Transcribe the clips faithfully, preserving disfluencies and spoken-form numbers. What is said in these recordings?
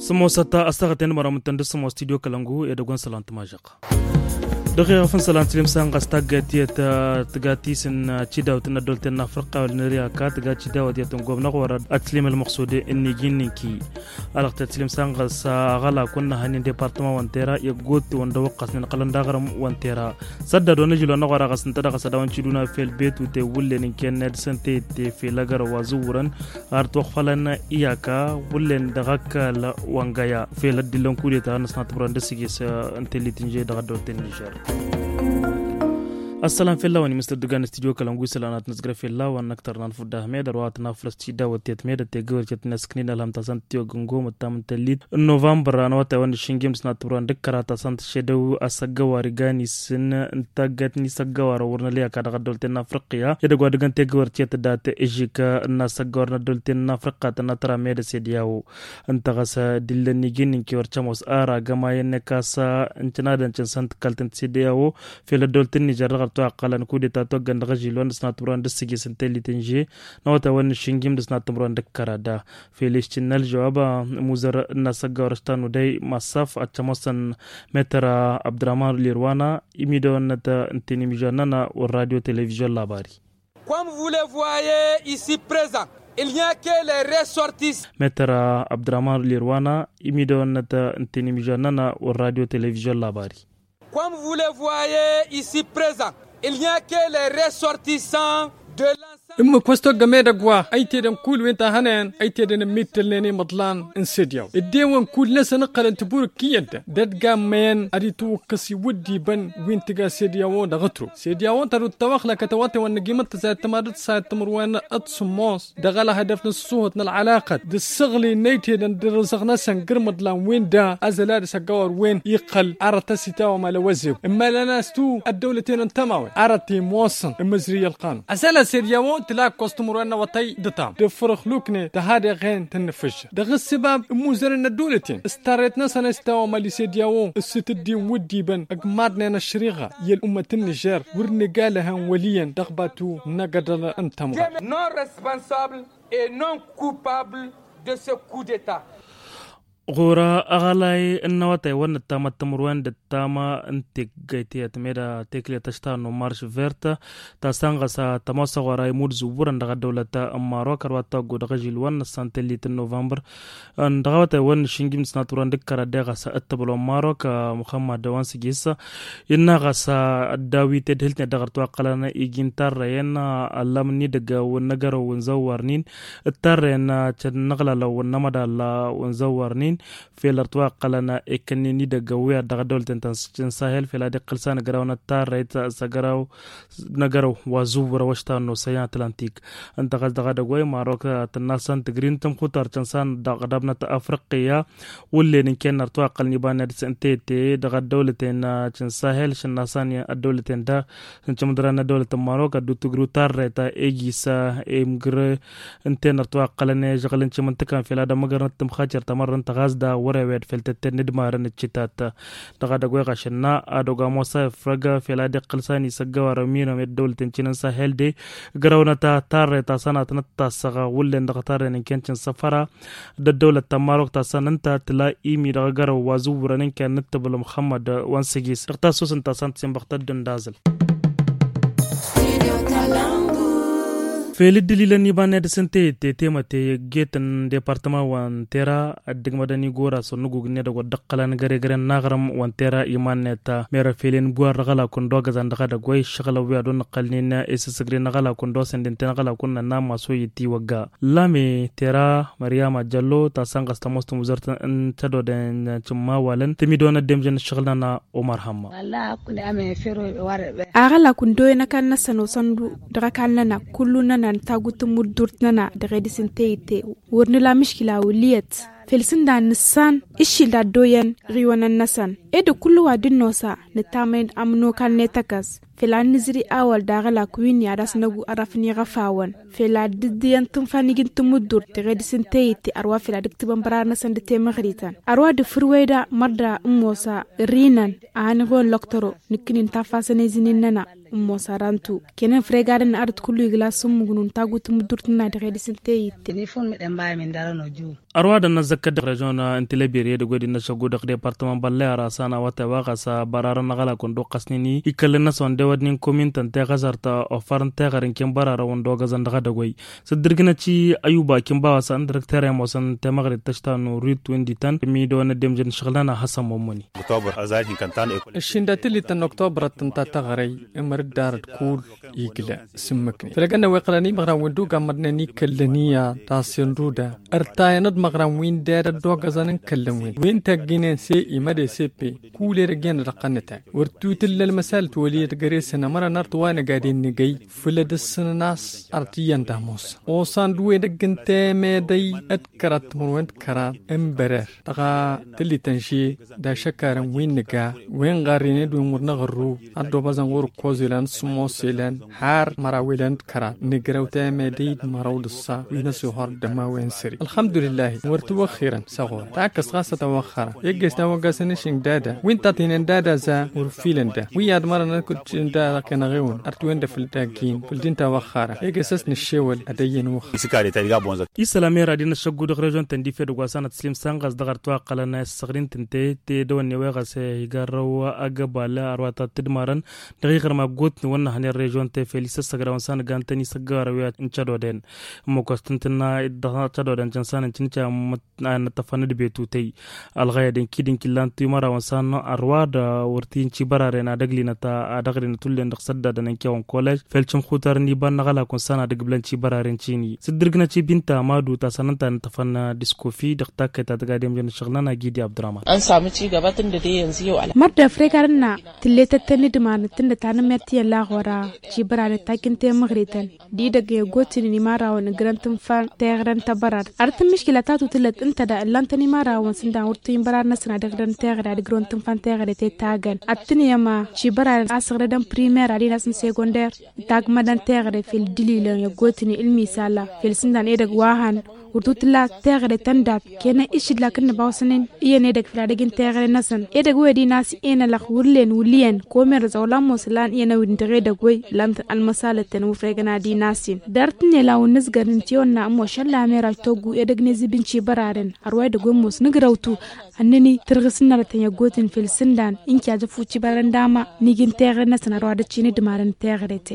Sǝmmos a-s taɣăt i-inmărăm ǝntăn d-sǝmmos studio kălăngu edăgg wa n-isălan tămažăɣt. Dăɣ-iɣăf n-isălan tǝslim s-a n-ɣas taggayt tiyyăt tǝga tisǝn cidawt n-ăddol tennafrăqqa wăla n-ăryaka tǝga cidawt iyyăt n-gomnăɣ wăr-ad-t tǝslim ălmăqsud n-iji n-inki. Alăɣ-t tǝslim s-a n-ɣas aɣălak wa n-năhănnin departăman wa n-tera i-ăggootewăn d-ăwwăqqas n-inăqlăn d-aɣrǝm wa n-tera. Săddad wa n-ažǝl wa n-aɣwăr a ɣas ǝnta dăɣ-s ad-dăɣ-wăn ciduna fel betu te wullen n-kenned săn teyǝtte fel agăr wa zǝwwurăn ar t-wăɣfălăn iyaka wullen dăɣ-ăkall wa n-găya fel ăddillăn kudeta n-ăsnatbărăn d-asǝgis n-tellit n-že dăɣ-ăddăwăl ten nižer. Ăssălam fell-a-wen imǝstăr dăgg-an studio kălăngu isălan ad-t-nǝzgăr fell-a-wen n-ăktăr n-anfudda ahmed ărwa ad-t-nafrăs tidawăt tiyyăt medăt tegăwăr tiyyăt n-asǝknin ălhăm ta săn tiwăgg n-gomăt ta mǝntăllit n-novămbăr anăwătay wa n-išǝnjim d-sănat tǝbran d-ǝkkăra ta săn tǝššedăw asăggăwar igan-isǝn n-taggayt n-isăggăwar ăwwărnăl i-ăkall dăɣ-ăddăwăl ten n-afriqya i-dăgg wa dăgg-ănta egăwăr tiyyăt dat-ǝžžǝk n-asăggăwar n-ăddăwăl ten n-afriqa tănna tăra medăt sediyawo. Ǝnta ɣas dillăn iji n-inki wăr cămoos ar agămay-net kasa n-cǝnadăn cǝnsăn tǝkkalt n-tisediyawo fel ăddăwăl ten n-ižăr dăɣ-ărtwa ăqqălăn kudeta toggăn dăɣ-ažil wa n-dăɣ-sănat tǝmruwen d-ǝssǝjǝs n-tellit n-že n-awătay wa n-išǝnjim d-sănat tǝmruwen d-ǝkkăra da. Fel išti n-ălžăwab amuzăr n-asăggawăr ăštanu day massaf ad-cămoosăn metăr abdăraman lirwana imidăwăn-năt n-tenimižan-nănăɣ wăr-radio televizion labari. Comme vous le voyez ici présent, il n'y a que les ressortissants. Metăr abdăraman lirwana imidăwăn-năt n-tenimižan-nănăɣ wăr-radio televizion labari. Comme vous le voyez ici présent, il n'y a que les ressortissants de l'ensemble. Ǝmmǝk wa s-toggăm edăgg wa ăytedăn kull wi n-ta hănen ăytedăn ămmittălnen imăḍlan n-sediyaw ăddewăn kull-năsăn ǝqqălăn tǝburǝk iyyăt dăɣ-dd-gammăyăn ad-itwǝkkăs iwǝddibăn wi n-tǝga sediyawo dăɣ-ătro sediyawo tădut tăwăxlăkăt awătewăn n-ăgimăt tăsayăt tămadăt tăsayăt tămărwen ad-sǝmmos dăɣ-ălhădăf n-ăssuhăt n-ălɣălaqăt d-ǝssăɣli n-ăytedăn d-ărǝzăɣ-năsăn gǝrmăḍlan wi n-da ăzăl ad-isăggawăr wen iqqăl arăt ăsitawăm alăwăzeu ǝmmalăn-as-tu ăddăwlăten n-tămawen arăt imoosăn ǝmmǝzrǝy ălqanun ăzăl ased i-a-wăn tǝla ǝkkoẓ timǝrwen n-awătay d-ǝtam d-ǝffărăx lukne tăhadeɣen tăn-nǝfǝžžăr dăɣ-ǝssǝbab ǝmmuzărăn n-ăddăwlăten s-tarrăyăt-năsăn a-s tawămali sed i-a-wăn s-itǝddin wǝddiibăn ǝgmaḍnen ăššăriɣa i-ăl'ummăt n-nižer wăr nǝga lăhăn wăl' iyyăn dăɣ-batu n-agădăl n-tămɣa. Non responsable et non coupable de ce coup d'état. Ɣur-aɣălay n-awătay wa n-ăttamăt timǝrwen d-ăttama n-teggăyt i-ătmeda teklet ăšta n-marš vert ta săn ɣas tămoosăɣ wăr-a imud zǝwwărăn dăɣ-ăddăwlăt n-marok ărwa taggo dăɣ-ažil wa n-ăssan tellit n-novămbăr dăɣ-awătay wa n-išǝnjim d-sănatwărăn d-ǝkkăra de ɣas ăttăbăl wa n-marok muxămmăd wa n-sǝjis innă ɣas ăddawit edhǝltnet dăɣ-ărtwaqqălăn iji n-tarrăyăn ăllam n-idăgg wa n-agărăw wa n-zăwwărnin d-tarrăyăn cănnăɣlalăw wa n-amădal wa n-zăwwărnin fel ărtwaqqălăn ekkănnen idăgg wa i-ad-dăɣ-ăddăwlăten ta n-sahel fel ad-iqqǝl s-anăgrăw n-ăttarrăyt s-agărăw n-agărăw wa zǝwwărăw ăštanno săyan atlantik. Ǝnta ɣas dăɣ-edăgg wa i-marok tǝnna s-an-tǝgri n-tămxutar cănsan dăɣ-ădab n-afriqqiya wǝllen ǝnken ărtwaqqălăn iba n-ad-săn tete dăɣ-ăddăwlăten cănsahel šănna s-an ăddăwlăten da s-ǝncǝmdăran n-ăddăwlăt n-marok ad-dd-tǝgru tarrăyt ejis imgǝr ǝnta-en ărtwaqqălăn i-žăɣǝl n-cimǝntǝkan fel ad-ămmăgărnăt tǝmxacer tamărrăn tăɣazda wăr-ewed fel tătted n-ǝdmarăn ǝccǝtat. Dăɣ-edăgg wa i-ɣašănna ad-ogamosa ifrăg fel ad-iqqǝl s-ani s-ăggăwar ămminăm i-ăddăwlăt n-cin n-sahel de ǝgrăwnăt tarrăyt ta s-anatnăt tasăɣ wǝllen dăɣ-tarrăyt n-ken cin săfăra d-ăddăwlăt ta n-marok ta s-an ǝnta tǝla imi dăɣ-agărăw wa zǝwwărăn n-ken n-ǝttǝbǝl muxămmăd wa n-sǝjis dăɣ-tassusǝn ta s-an tǝsinbăɣ tădd-ǝndazǝl. Fel dd-ililăn iba n-ad-dăr-s ǝnta i-tettemăte i-ăgget n-departăman wa n-tera ăddǝgmădăn igor a-s wăr nǝgug n-edăgg wa dd-ǝqqălăn găre-găren n-aɣrǝm wa n-tera iman-net. Merăfelen buwar n-aɣălak undo agăzan dăɣ-edăgg wa i-ǝššăɣǝlăn wi ad-wăr nǝqqălnen i-sǝssǝgre n-aɣălak undo a-s ǝndǝnten aɣălak wa n-nănna n-masoyǝt iwăgga lame tera măryama jăllo ta săn ɣas tămoos timuzărt n-tădodăyăn cǝmmawalăn tǝmidăwăn ăddemjăn ǝššăɣǝl-nănăɣ. Umăr hămma. Aɣălak undo-en ăkall-năsăn osăndu dăɣ-ăkall-nănăɣ kullu-nănăɣ nǝtagut tǝmmuddurt-nănăɣ dăɣ-e dăr-s ǝnta i-ite wăr nǝla mǝškǝla wăl' iyyăt. Fel sǝndan nǝssan ǝššil d-ad-dd-oyăn ɣiwănăn-năsăn. Ed kullu wa dd-nosa nǝttamăned amǝnokal n-etăkăs fel ad-nǝzri awăl daɣ ălak wi n-i ad-as-năgu arrăf n-iɣăfawăn fel ad-dd-ǝyyăn tǝnfa n-iji n-tǝmǝddurt teɣed s-n-teyǝtte ărwa fel ad-ǝktǝbăn bărarăn-năsăn d-temăɣrităn ărwa d-afǝrwey da mărda n-mosa rinăn a hanăɣ-iwăn lăktăro nǝkkǝnin tafasăn ezǝnnin-nănăɣ n-mosa rantu. Kenăn fregadăn n-arăt kullu igla s-ǝmmǝgnun tagut n-mǝddurt n-ad-ɣedis n-teyit. Ărwadăn n-ăzzăkkăt dăɣ-režion n-tilăbiri edăgg wed innă šăggu dăɣ-departăman băllăy arasăn a-wa tăwăɣăs bărarăn n-aɣălak wăndăɣ ɣasnini ikăllăn-năsăn wăndăɣ wădnin komin tăn-teɣăzărt ofăr n-teɣăre n-ken bărarăn wăndăɣ ɣăzăn dăɣ-edăgg wăy s-dd-irgǝnăt i-ayuba kin bawăsăn dirăkter i-ămoosăn temăɣrit tăšta n-urrit wi n-dităn mi-dăɣ wănnăt demjăn šăɣlăn a hasăn mămmăni. Ǝššin dat-tǝllit n-oktobăr ad-tǝnta teɣăre i-măr-dd arăt kull igla s-ǝmmǝknen făll-egănna wi ăqqălăn imăɣran wi n-duga mărnen ikăllăn iyyăḍ tasǝnduda ărtayăn d-imăɣran wi n-ded ăddoogăẓăn n-kăllăn-win wi n-tăgginen s-e-i măd-e s-e-pe kull edăgg iyyăn ad-ăqqănnătăn wăr t-utǝlla ălmăsalăt wăl' i-dd găre-săn ămăra n-arăt wa năgadin nǝgăy făll-ad-ǝssǝn n-a-s arăt iyyăn d-ămoos osan d-wi edăgg n-temedăy d-kăraḍ timǝrwen d-kăraḍ n-bărer dăɣ-tǝllit n-že d-ašăkarăn wi n-nǝga wi n-ɣarrine d-wi n-wăr năɣărru ad-dd-obăẓăn ɣur-ǝkkoẓ ilan s-ămoos ilan har măraw ilan d-kăraḍ nǝgrăw temedăy d-măraw d-ǝssa wi n-ăsiwhăr d-ămawen sări ălxămdulǝllahi. Wăr t-wăxxirăn s-ăɣur takkăst ɣas a tawăxxărăn egg'-e s-tawăggasăn išǝng dada wi n-taṭinen dada za wăr filăn da wi ad-mărăn ad-kăt-ǝššǝn dada kănăɣ-ewăn ărtwen-dăɣ făll-daggin făll-din tawăxxărăn egg'-e s-ăsnăššewăl ad-ăyyăn wăxxărăn. Isălam i-radin ăššăggu dăɣ-režion tăndif edăgg wa s-anăt tǝslim sanɣas dăɣ-arăt wa ǝqqălăn a isăɣrin tǝnte te dăwănne wa ɣas igarrăw agăbal ărwa ta t-dd-marăn dăɣ-iɣrǝm aggotni wăr nǝhănen režion te fel isăssăgrawăn s-anăgantăn isăggarăw i-ad-n-cădoden ǝmmǝk wa s-tǝntǝnna dăɣ-cădoden căn s-anăncăn n-ad-nǝṭṭăfăn d-betutăy ălɣăyăd n-kid n-killan timărawăn s-anăɣ ărwa d-wăr t-incibăraren ad-ăglinăt ad-ăɣrinăt ullen dăɣ-săddadăn n-kewăn kolej fel cǝmxutar n-iba n-aɣălakun s-anăɣ ad-ǝgbǝlăn cibăraren cini s-dd-ǝrgǝnăt i-binta amadu ta sănănta ad-nǝṭṭăfăn discofi dăɣ-takkăyt ta tăgademjăn ǝššăɣǝlăn agidi abdurahman. Mărdăf regarăn-na tǝlletăt tăn-idman tǝnnăt anǝmert iyyăn laɣora cibăraren takǝnte măɣrităn d-idăgg i-ăggootnen imarrawăn ǝgrăn tǝnfa n-teɣăre n-tăbărad ar tǝmmǝškǝla ta tutǝlăt ǝnta da ǝllan-tăn imarrawăn s-ǝndan wăr t-inbărad-năsăn ad-ǝgrăn teɣăre ad-ǝgrăwăn tǝnfa n-teɣăre tetagăn ad-tăn-i ăma cibăraren a săɣrădăn primer ad-inas n-segonder n-tagmădăn teɣăre fel d-ililăn i-ăggootnen ǝlmisala fel s-ǝndan edăgg wa hăn wăr tutǝla teɣăre tăndat kena išǝdlak n-nǝbawsăn-in iyyăn edăgg făll-ad-ăj n-teɣăre-năsăn edăgg wi ad-inas enălăx wăr-len wăl' iyyăn komerăẓ a wăla ămoos ǝllan iyyăn a-wen dăɣ-edăgg wi ǝllan-tăn ălmăsalăt-ten wăr-regăn ad-inasin. Dar tǝnnel a wăr nǝzgăr nǝnti wănna ămošăn lamer a itoggu edăgg n-ezǝb n-cibăraren ărwa edăgg wi ămoos nǝgrăwtu ănnăn-i tărɣǝs n-arătăn i-ăggootnen fel sǝndan inki ajăfu cibăraren d-ama n-iji n-teɣăre-năsăn ărwa dăɣ-t šin d-marăn teɣăre-te.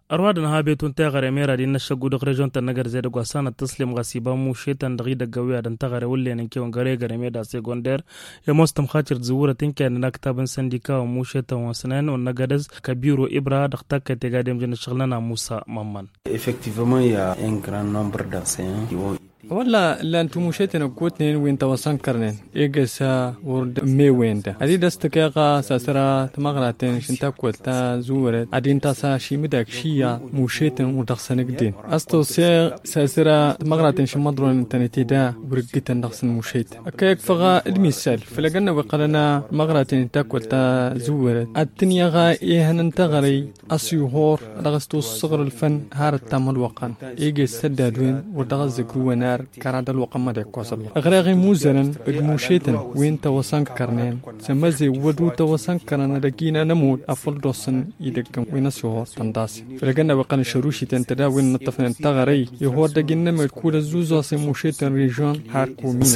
Ărwa d-ănha betun teɣăre mera d-innă ăššăggu dăɣ-režion-tăn n-egărzed ăgg wa s-anăt tăslem ɣas iba mušetăn dăɣ-idăgg ăwwi ad-ăntăɣăre wăllen ănkewăn găregăre meda segonder i-ămoos tămxatir tizǝwwurăt ǝnken n-aktab n-săndika wa mušetăn wa s-năyăn wa n-agădăz kăbiro ibra dăɣ-takkăyt tegadem jăn ăššăɣǝl-nănăɣ musa mămmăn. Effectivement il y a un grand nombre d'enseignants qui ont wălla ǝllan timušeten ăggootnen wi n-tawăsănkărnen eges wăr dd-ămmewen da ad-dd-ăstăkeɣ s-asăra tamăɣraten šǝntakwăl tazǝwwărăt ad-intasa šimǝdak šiya mušeten wăr dăɣ-săn ǝgden. Ăstăwseɣ s-asăra tamăɣraten šǝmmăḍronen tănăte da wăr ǝggǝtăn dăɣ-săn mušeten ăkka ikfăɣ d-misal făll-egănna wi ǝqqălăn tamăɣraten šǝntakwăl tazǝwwărăt ad-tǝnyaɣ ihăn n-teɣăre ăsihor dăɣ-s tussăɣrǝl făn harăt tamălwăqăn ege s-săddad-wen wăr dăɣ-ăzzăgrǝwăn ar kăra d-ălwăqq ămmăd ikkos ălwăqq ăɣreɣ imuzărăn d-mušetăn wi n-tawăsănkărnen s-emăzewăd wi tawăsănkărăn ad-ăgg-inăn ămudd afăl dd-ossăn idăggăn wi n-ăsihor tănḍasen făll-egănna wi qqălăn šărušiten tădawen n-ǝṭṭăfnen taɣărăy ihor d-ăgg-innă mel kud-ăzzuzăɣ s-imušetăn režion har komin.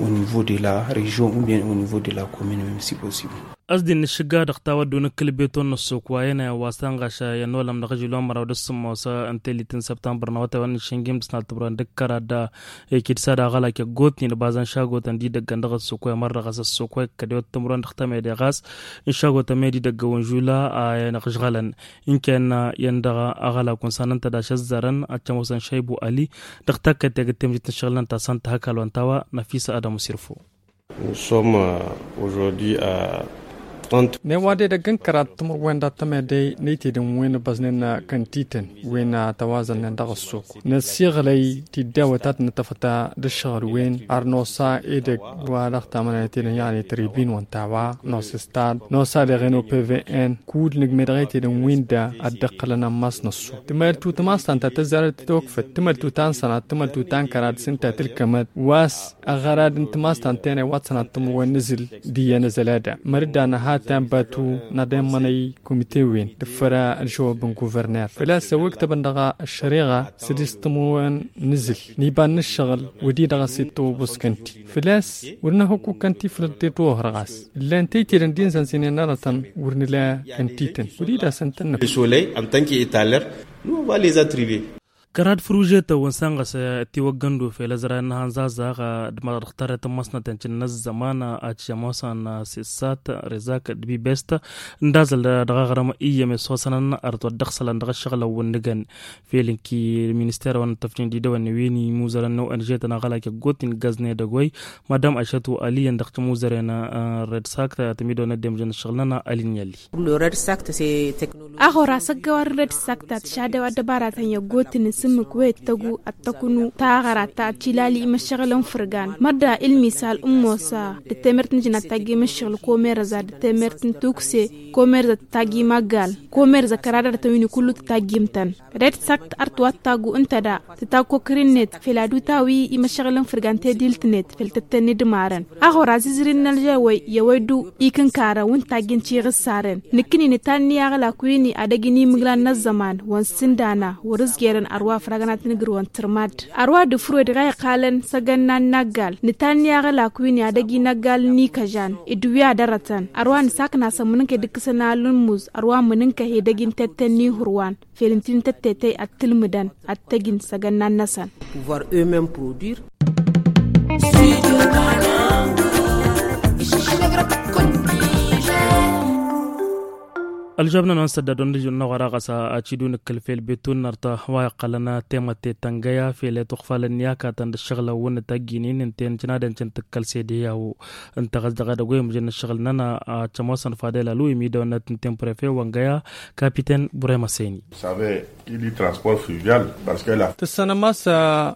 Au niveau de la region ou bien au niveau de la commune même si possible. Ăsdin n-ašǝgga dăɣ-tawăddu n-ǝkkǝl beton n-ăssok wa ăyăn a iwwasăn ɣaš i-ănolăm dăɣ-ažil wa n-măraw d-ǝssǝmmos n-telit n-săbtămbăr n-awătay wa n-išǝnjim d-sănat timǝrwen d-ǝkkăr ad-ikǝd s-ad-aɣălak i-ăggootnen bazăn šagotăn d-idăggăn dăɣ-ăssok wa i-mărrăɣăs ăssok wa ikkăd iwăt timǝrwen dăɣ-tămede ɣas n-šagotăn med idăgg ăwănžula a inăɣžɣălăn ǝnken iyyăn dăɣ-aɣălak wa n-sanăn-tăd ašăzzărăn ad-t-ămoosăn šăybu ăli dăɣ-takkăyt tegăt temjit n-ašăɣǝl n-tasăn tăhăkal wa n-tawa năfisa ad-ămusirfu. Nous sommes aujourd'hui à Newade dăgg-n kărat timǝrwen dat-tămedey n-itedăn wen băznen kăntităn wen tăwazălnen dăɣ-ăssuk năsiɣlăy tiddawăt ad-nătăfăt d-ǝššăɣǝl wen ar nosa edăgg wa dăɣ-tamănăyăt edăn yaɣne tribin wăn tawa nos stad nosa deɣen opvn. Kud nǝgme dăɣ-itedăn wen da ad-dd-ăqqălăn ammas n-ăssuk tǝmăltut mastanta tăzzarăt tătokfăt tǝmăltut ta n-sănat tǝmăltut ta n-kărat s-ǝnta tǝlkămăt wa s-ăɣărad n-timastan tenăy wa t-sănat timǝrwen n-azǝl d-iyyăn azăl ad-da mărda n-ahăt tanbatu n-ad-immănăy kumite-wen d-făra ălžăwab n-guverner făl-a-s ăwwǝktăbăn dăɣ-ăššăreɣa sădis timǝrwen n-azǝl n-iba n-ǝššăɣǝl wădidăɣ a-s itwăwwǝẓ kănti făl-a-s wăr nǝhăkku kănti făll-dd-itwăwwăɣ ɣas ǝllan tăytedăn d-inzănzinen arătăn wăr nǝla kăntităn wădidăɣ a-s ǝntănnăk. Kărad făružetăn wa n-sănɣăs tiwăggăn d-ufel ăzra n-hanzazaɣ d-măḍăɣ tarret n-măsnăten cǝnnăs zăman. Acămosan sessat rezak d-bibest n-dazăl dăɣ-aɣrăm iyyăm isosănăn ărtwăt dăɣ-sălan dăɣ-ašăɣlăn wa n-nǝgăn fel n-ki minister wa n-tăfjin d-idăwăn wi n-imuzărăn n-onžetăn aɣălak i-gotin gazne dăgg-oy madam ašătu aliyăn dăɣ-timuzăren. Red sak tămidăwăn ăddemjăn ašăɣlăn alin yălli. Aɣora săggăwar n-red sak ta tǝšadew ad-dăbaratăn i-ăggootǝn n-sǝmmǝk wa ittăgu ad-tăknu taɣăra ta ad-tilali imăššăɣǝl n-fărgan mărda ilmisal n-mosa d-temert n-ijna ad-tajj imăššăɣǝl komerăza d-temert n-tukse komerăza tǝtajj imaggal komerăza kăradarătăn wi n-kullu tǝtajj imtăn. Red sakt artwat tagu ǝnta da tǝtakokăr-net fel ad-utawi imăššăɣǝl n-fărgan tedilt-net fel tǝttăn idmarăn aɣora zizrin n-ălžăwăy i-ăwăydu ikǝnkarăn wa n-tajjǝn tiɣǝssarăn nǝkkǝni nǝtanni aɣlak wini ad-ăj n-imǝglan n-ăẓẓăman wa n-sǝndana wăr-ǝzjerăn ărwa făragăn ad-tăn-ǝgrǝwăn tărmad ărwa d-ǝfrǝwed ɣa iqqalăn săgănna n-inăggal nǝtanni aɣlak wini ad-ăj inăggal n-ikăžan d-wi ad-ărătăn ărwa nǝsakna-săn mǝnǝnka idǝkkǝsăn alǝmmuz ărwa mǝnǝnka he-dăj n-tetten n-ihurwan fel ǝnta-i n-tăttetăy ad-tǝlmǝdăn ad-t-ăjǝn s-agănnan-năsăn. Pouvoir eux-memes produire. Ălžabnăn wa n-săddad wa n-dăj-năɣ wăr-aɣăs ad-t-dd-unǝkkǝl fel betunnărt wa iqqălăn temătte tăngăya fel i-tuɣfalăn n-iyakatăn d-ǝššăɣǝlăn wa n-tăjjinin ǝnta-en cǝnadăn cǝntǝkkăl sediyawo ǝnta ɣas dăɣ-edăgg wa imǝjăn ǝššăɣǝl-nănăɣ ad-cămoosăn fadel alu imidăwăn n-ad-tǝntǝn prefe wa n-găya kapiten burem aseni. Tǝssănăm a-s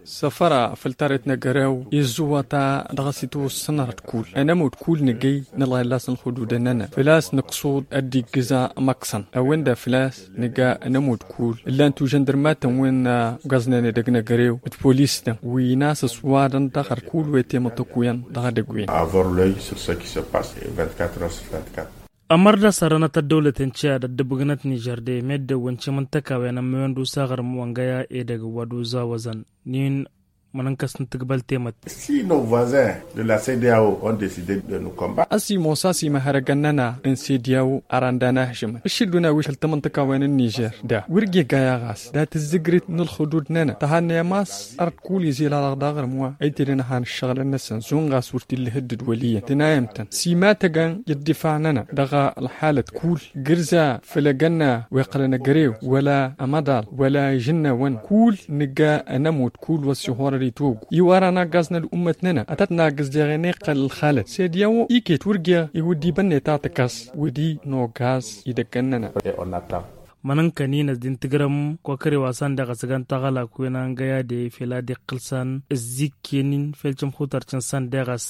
săfăra făll-tarret n-egărew izzǝwwăt-a dăɣ-s itwǝssăn arăt kull ănămud kull nǝgăy nǝlɣa illas n-ălxududăn-nănăɣ făl-a-s nǝqṣud ad-dd-iggǝza măksăn a-wen-dăɣ făl-a-s nǝga ănămud kull ǝllan tužăndărmatăn wi n-ugaznen edăgg n-egărew d-polis-tăn wi n-a-s ăswadăn dăɣ-arăt kull wa itemăṭṭăkuyăn dăɣ-edăgg-wen. Avoir l'oeil sur ce qui se passe vingt-quatre heures sur vingt-quatre. Ămăr d-asărănăt ăddăwlăten ciyad ăddăbăgnăt nižer de meddewăn cimǝntăkawen ămmăwen d-usaɣrǝm wa n-găya edăgg wa d-uzawăzăn nin mănănkăs n-tǝgbăl temăt. Si nos voisins de la cdao ont decidé de nous combattre. Ăsimos a-s imăhărăgăn-nănăɣ n-cdao ăranda n-ahžămăn ǝššǝddun awišăl tamǝntăkawen n-nižer da wăr g-egay a-ɣas dat-ǝzzǝgrit n-ălxudud-nănăɣ tăhannăyăm a-s ărăt kull izilalăɣ d-aɣrǝm wa ăytedăn ăhan ǝššăɣǝlăn-năsăn zun ɣas wăr t-illa ihǝddǝd wăl' iyyăn tǝnayăm-tăn simătăgăn i-ăddifăɣ-nănăɣ dăɣ-ălxalăt kull gǝrza făll-egănna wa iqqălăn egărew wăla ămăḍal wăla ižǝnnawăn kull nǝgga ănămud kull wa s-ihorăr itwăggu iwărăn aggaz n-ăl'ummăt-nănăɣ ad-tăt-naggǝz deɣ ena iqqăl ălxalăt sediyawo iket wăr g-iwǝddibăn-net a tǝkkăs wădi n-oggaz idăggăn-nănăɣ. Mănănkăn-in ăsdin tǝgrăm kăkărew a-s ăndeɣ ăsgăn taɣălak wen a n-găya de fel ad-iqqǝl san ǝzzikken-in fel cǝmxutăr cǝnsan deɣ a-s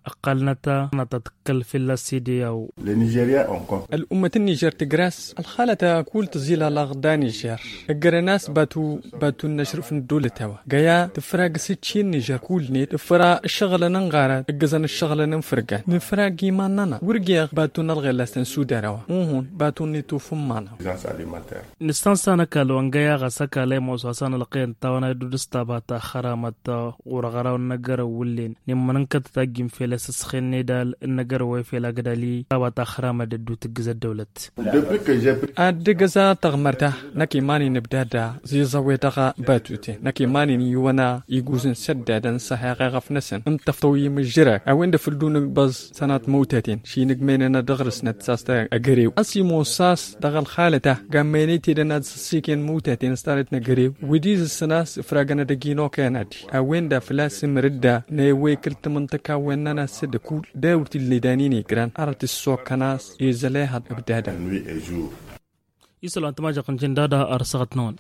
ăqqalnăt a n-ad-tăt-kăl fălla-s cdao. Ăl'ummăt n-nižer tǝjrăs ălxalăt kull tǝẓilalăɣ d-anižer ǝjrăn a-s batu batu n-ašrǝf n-ăddăwlăt a-wa găya tǝfrag s-ǝcci n-nižer kull-net tǝfra ǝššăɣǝlăn n-ɣarad ǝggǝzăn ǝššăɣǝlăn n-fărgan nǝfrag iman-nănăɣ wăr g-eɣ batu n-ălɣella s-tăn-sudar a-wa uhun batu n-ituf n-iman-năɣ. Nǝssansa n-ăkall wa n-găya ɣas ăkall a imoos wa s-anălqăyăn tawănay dd-udǝs taba ta xăramăt ɣur-ăɣraw n-agărăw wǝllen n-immănăn kăt-tajjim fel ăsǝsxen n-edal n-agărăw wa ifel agdali taba ta xăramăt dd-utǝggǝz ăddăwlăt. Ad-dd-ǝggǝza tăɣmărt-a năkk iman-in ǝbdad ziẓăwe dăɣ-batuten năkk iman-in iwăn-a iguzǝn săddadăn s-aheɣ eɣăf-năsăn n-tăftăw imǝžžǝrag a-wen-dăɣ făl dd-unǝgbăẓ sănat măwtăten šinǝgmăynănăɣ dăɣ-rǝsnăt s-a-s tăgg-agărew ăsimos a-s dăɣ-ălxalăt-a. Măynăy tedăn ad-săssiken mutaten s-tanăt n-agărew wi d-izǝssăn a-s ǝfragăn ad-ăjjin okăyăn ad-i a-wen da făl-a-s imrǝdda n-ewekǝl tamǝntăka wen n-anasăd ăkull dewăr t-illa idanin igran arăt ǝssokăn a-s izălehăḍ ăbdadăn. Isălan tămajăɣt n-jindada ar săɣăt-năwăn.